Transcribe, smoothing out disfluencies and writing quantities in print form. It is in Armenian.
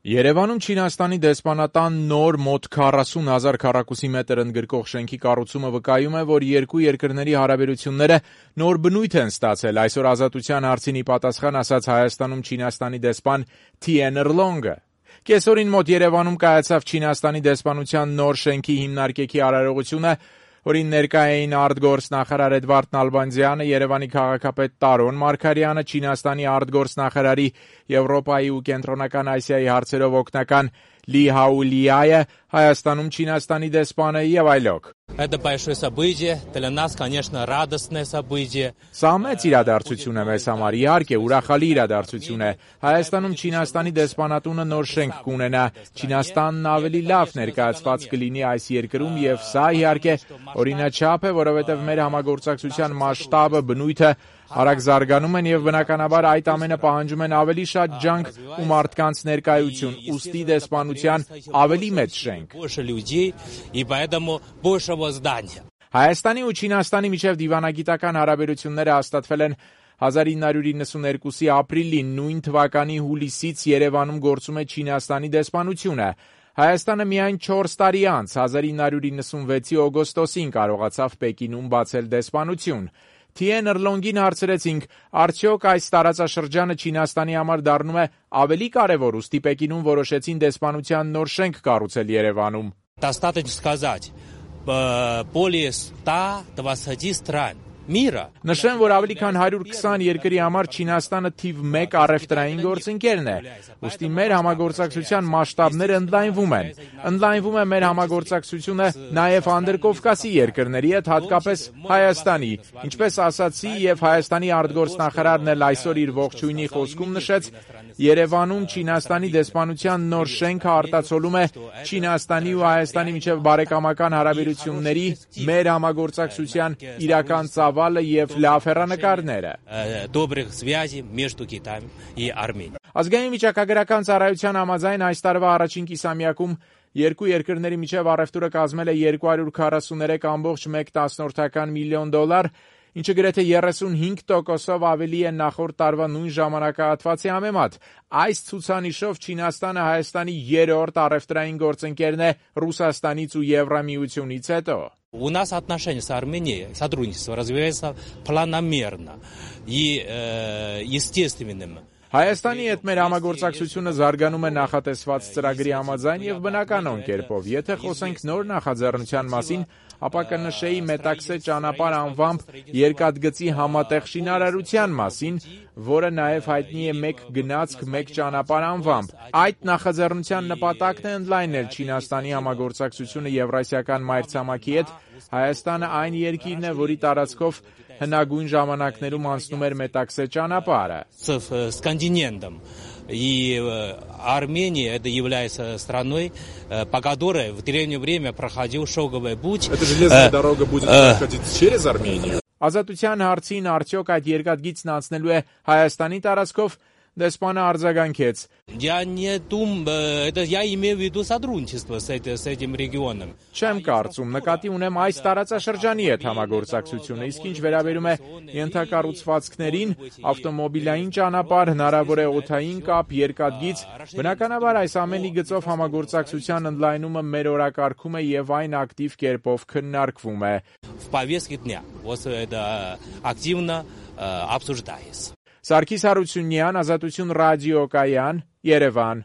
Երևանում Չինաստանի դեսպանատան նոր մոտ 40,000 քառակուսի մետր ընդգրկող շենքի կառուցումը վկայում է, որ երկու երկրների հարաբերությունները նոր բնույթ են ստացել, այսօր Ազատության հարցին ի պատասխան ասաց Հայաստանում Չինաստանի դեսպան Թիեն Էրլոնգը։ Կեսօրին մոտ Երևանում կայացավ Չինաստանի դեսպանության նոր շենքի հիմնարկեքի արարողությունը, որին ներկա էին արտգործնախարար Էդվարդ Նալբանդյանը, Երևանի քաղաքապետ Տարոն Մարգարյանը, Չինաստանի արտգործնախարարի Եվրոպայի ու Կենտրոնական Ասիայի հարցերով օգնական Լի Հաուլիայը, Հայաստանում Չինաստանի դեսպանը եւ այլոք։ Это большое событие, для нас, конечно, радостное событие. Սա մեծ իրադարձություն է մեզ համար, իհարկե, ուրախալի իրադարձություն է։ Հայաստանում Չինաստանի դեսպանատունը նոր շենք կունենա, Չինաստանն ավելի լավ ներկայացված կլինի այս երկրում եւ սա իհարկե օրինաչափ է, որովհետեւ մեր համագործակցության մասշտաբը, բնույթը արագ զարգանում են եւ բնականաբար այդ ամենը պահանջում են ավելի շատ ջանք ու մարդկանց ներկայություն, ուստի դեսպանության ավելի մեծ շենք։ Հայաստանի ու Չինաստանի միջև դիվանագիտական հարաբերությունները հաստատվել են 1992-ի ապրիլին, նույն թվականի հուլիսից Երևանում գործում է Չինաստանի դեսպանությունը։ Հայաստանը միայն 4 տարի անց 1996-ի օգոստոսին կարողացավ Պեկինում բացել դեսպանություն։ Թիեն Էրլոնգին հարցրեցինք, արդյոք այս տարածաշրջանը Չինաստանի համար դառնում է ավելի կարևոր, ուստի Պեկինում որոշեցին դեսպանության նոր շենք կառուցել Երևանում։ Достаточно сказать, более 120 стран мира. Նշեմ, որ ավելի քան 120 երկրի համար Չինաստանը թիվ 1 առևտրային գործընկերն է։ Ուստի մեր համագործակցության մասշտաբները ընդլայնվում են։ Ընդլայնվում է մեր համագործակցությունը նաև Անդրկովկասի երկրների հետ, հատկապես Հայաստանի։ Ինչպես ասացի, եւ Հայաստանի արտգործնախարարն էլ այսօր իր ողջույնի խոսքում նշեց, Երևանում Չինաստանի դեսպանության նոր շենքը արտացոլում է Չինաստանի ու Հայաստանի միջև բարեկամական հարաբերությունների մեր համագործակցության իրական ծավալը եւ լավ հեռանկարները։ Ազգային վիճակագրական ծառայության համաձայն այս տարվա առաջին կիսամյակում երկու երկրների միջև առևտուրը կազմել է 243.1 միլիոն դոլար, ինչը գրեթե 35%-ով ավելի է նախորդ տարվա նույն ժամանակահատվածի համեմատ։ Այս ցուցանիշով Չինաստանը Հայաստանի երրորդ առևտրային գործընկերն է Ռուսաստանից ու Եվրամիությունից հետո։ У нас отношения с Арменией, сотрудничество развивается планомерно и естественным. Հայաստանի հետ մեր համագործակցությունը զարգանում է նախատեսված ծրագրի համաձայն եւ բնականon կերպով։ Եթե խոսենք նոր նախաձեռնության մասին, ապա կնշեի Մետաքսե ճանապարհ անվամբ երկաթգծի համատեղ շինարարության մասին, որը նաև հայտնի է մեկ գնացք, մեկ ճանապարհ անվամբ։ Այդ նախաձեռնության նպատակն է ընդլայնել Չինաստանի համագործակցությունը Եվրասիական մայրցամաքի հետ։ Հայաստանը այն երկիրն է, որի տարածքով հնագույն ժամանակներում անցնում էր Մետաքսե ճանապարհը։ С континентом. И Армения это является страной, по которой в древнее время проходил шелковый путь. Эта железная дорога будет проходить через Армению. Ազատության հարցին արդյոք այդ երկաթգիծն անցնելու է Հայաստանի տարածքով, դեսպանը արձագանքեց. Я не думаю, это я имею в виду сотрудничество с этим регионом. Չեմ կարծում, նկատի ունեմ այս տարածաշրջանի հետ համագործակցությունը, իսկ ինչ վերաբերում է ենթակառուցվածքներին, ավտոմոբիլային ճանապարհ, հնարավոր է օդային կապ, երկաթգիծ, բնականաբար այս ամենի գծով համագործակցության ընդլայնումը մեր օրակարգում է եւ այն ակտիվ կերպով քննարկվում է։ В повестке дня. Вот это активно обсуждается. Սարգիս Հարությունյան, Ազատություն ռադիոկայան, Երևան։